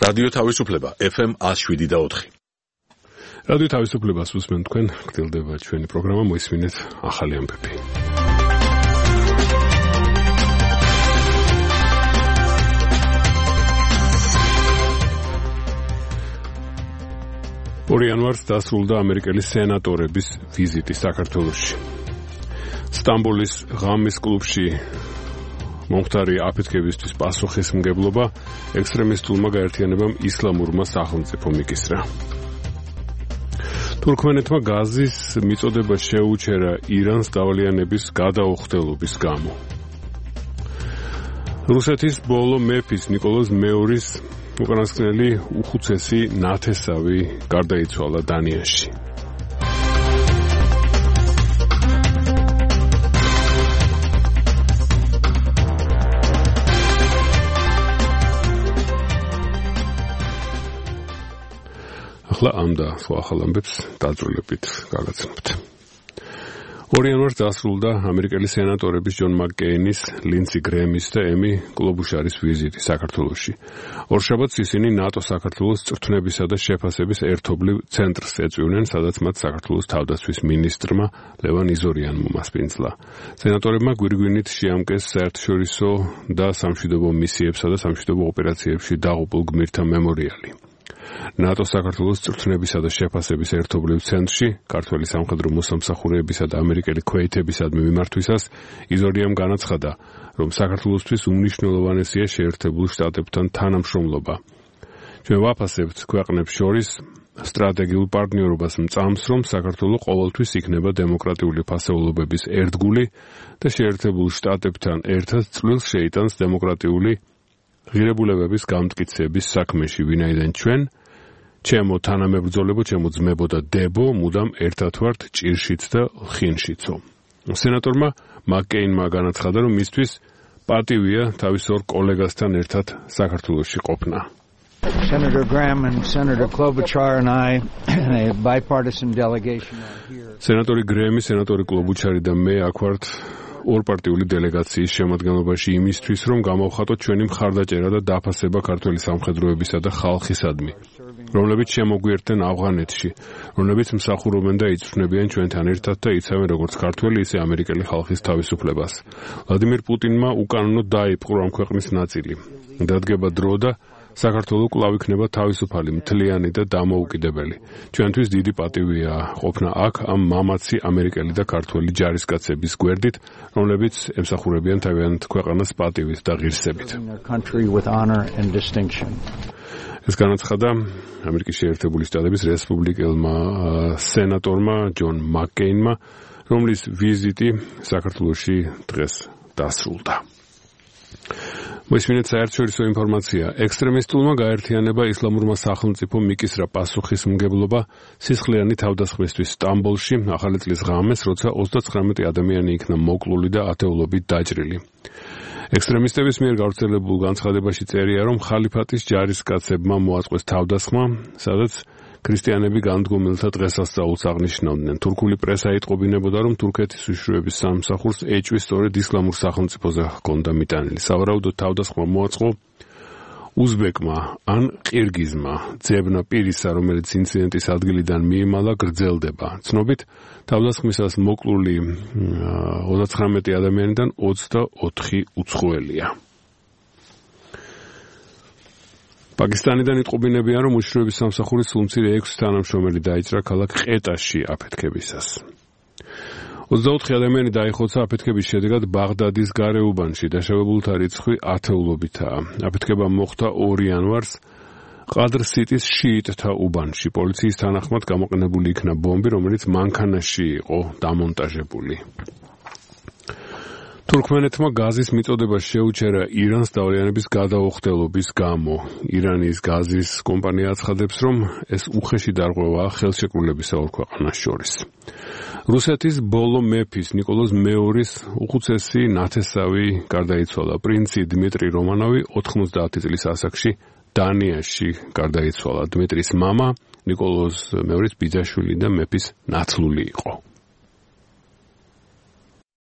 რადიო თავისუფლება FM 107.4. რადიო თავისუფლებას უსმენ თქვენ, გრძელდება ჩვენი პროგრამა, მოისმინეთ ახალი ამბები. იანვარს დასრულდა ამერიკელი სენატორების ვიზიტი საქართველოში. სტამბოლის ღამის კლუბში მომხდარი აფეთქებისთვის პასუხისმგებლობა ექსტრემისტულმა გაერთიანებამ ისლამურმა სახელმწიფომ იკისრა. თურქმენეთმა გაზის მიწოდება შეუჩერა ირანს დავალიანების გადაუხდელობის გამო. რუსეთის ბოლო მეფის ნიკოლოზ მეორის უკანასკნელი უხუცესი ნათესავი გარდაიცვალა დანიაში. ახლა ამ და სხვა ახალ ამბებს დაძრულებით გაგაცნობთ. იანვარს დასრულდა ამერიკელი სენატორების ჯონ მაკკეინის, ლინდსი გრემის და ემი კლობუშარის ვიზიტი საქართველოში. ორშაბათს ისინი ნატო-საქართველოს წვრთნებისა და შეფასების ერთობლივ ცენტრს ეწვივნენ, სადაც მათ საქართველოს თავდაცვის მინისტრმა ლევან იზორიანმა მასპინძლა. სენატორებმა გვირგვინით შეამკეს საერთაშორისო და სამშვიდობო მისიებსა და სამშვიდობო ოპერაციებში დაღუპულ გმირთა მემორიალი. ნატო-საქართველოს წვრთნებისა და შეფასების ერთობლივ ცენტრში ქართველი სამხედრო მოსამსახურეებისა და ამერიკელი ქვეითებისადმი მიმართვისას იზორიამ განაცხადა, რომ საქართველოსთვის უმნიშვნელოვანესია შეერთებულ შტატებთან თანამშრომლობა. ჩვენ ვაფასებთ ქვეყნებს შორის სტრატეგიულ პარტნიორობას მწამს, რომ საქართველო ყოველთვის იქნება დემოკრატიული ფასეულობების ერთგული და შეერთებულ შტატებთან ერთად წვლილს შეიტანს დემოკრატიული ღირებულებების გამტკიცების საქმეში, ვინაიდან ჩვენ ჩემო თანამებრძოლებო, ჩემო ძმებო და დებო, მუდამ ერთად ვართ ჭირშიც და ლხინშიცო. სენატორმა მაკკეინმა განაცხადა, რომ მისთვის პატივია თავის ორ კოლეგასთან ერთად საქართველოში ყოფნა. Senator Graham and Senator Klobuchar and I, a bipartisan delegation are here. სენატორი გრემი, სენატორი კლობუჩარი და მე აქ ვართ ორპარტიული დელეგაციის შემადგენლობაში იმისთვის, რომ გამოვხატოთ ჩვენი მხარდაჭერა და დაფასება ქართველი სამხედროებისა და ხალხისადმი, რომლებიც შემოგვიერთდნენ ავღანეთში, რომლებიც მსახურობენ და იწვრთნებიან ჩვენთან ერთად და იცავენ როგორც ქართველი, ისე ამერიკელი ხალხის თავისუფლებას. ვლადიმირ პუტინმა უკანონოდ დაიპყრო ამ ქვეყნის ნაწილი. დადგება დრო და საქართველო კვლავ იქნება თავისუფალი, მთლიანი და დამოუკიდებელი. ჩვენთვის დიდი პატივია ყოფნა აქ ამ მამაცი ამერიკელი და ქართველი ჯარისკაცების გვერდით, რომლებიც ემსახურებიან თავიანთ ქვეყანას პატივით და ღირსებით. ეს განაცხადა ამერიკის შეერთებული შტატების რესპუბლიკელმა სენატორმა ჯონ მაკკეინმა, რომლის ვიზიტი საქართველოში დღეს დასრულდა. მოისმინეთ საერთაშორისო ინფორმაცია. ექსტრემისტულმა გაერთიანება ისლამურმა სახელმწიფომ მიკისრა პასუხისმგებლობა სისხლიანი თავდასხმისთვის სტამბოლში ახალი წლის ღამეს, როცა 39 ადამიანი იქნა მოკლული და ათეულობით დაჭრილი. ექსტრემისტების მიერ გავრცელებულ განცხადებაში წერია, რომ ხალიფატის ჯარისკაცებმა მოაწყვეს თავდასხმა, სადაც ქრისტიანები განდგომილთა დღესასწაულს აღნიშნავდნენ. თურქული პრესა იტყობინებოდა, რომ თურქეთის უშიშროების სამსახურს ეჭვი სწორედ ისლამურ სახელმწიფოზე ჰქონდა მიტანილი. სავარაუდოდ თავდასხმა მოაწყო უზბეკმა ან ყირგიზმა. ძებნა პირისა, რომელიც ინციდენტის ადგილიდან მიიმალა, გრძელდება. ცნობით, თავდასხმისას მოკლული 39 ადამიანიდან 24 უცხოელია. პაკისტანიდან იტყობინებიან, რომ უშიშროების სამსახურის სულმცირე 6 თანამშრომელი დაიჭრა ქალაქ ყეტაში აფეთქებისას. 24 ადამიანი დაიხოცა აფეთქების შედეგად ბაღდადის გარეუბანში, დაშავებულთა რიცხვი ათეულობითაა. აფეთქება მოხდა იანვარს ყადრ-სიტის შიიტთა უბანში. პოლიციის თანახმად გამოყენებული იქნა ბომბი, რომელიც მანქანაში იყო დამონტაჟებული. თურქმენეთმა გაზის მიწოდება შეუჩერა ირანს დავალიანების გადაუხდელობის გამო. ირანის გაზის კომპანია აცხადებს, რომ ეს უხეში დარღვევაა ხელშეკრულებისა ორ ქვეყანას შორის. რუსეთის ბოლო მეფის ნიკოლოზ მეორის უხუცესი ნათესავი გარდაიცვალა. პრინცი დმიტრი რომანოვი 90 წლის ასაკში დანიაში გარდაიცვალა. დმიტრის მამა ნიკოლოზ მეორის ბიძაშვილი და მეფის ნაცლული იყო.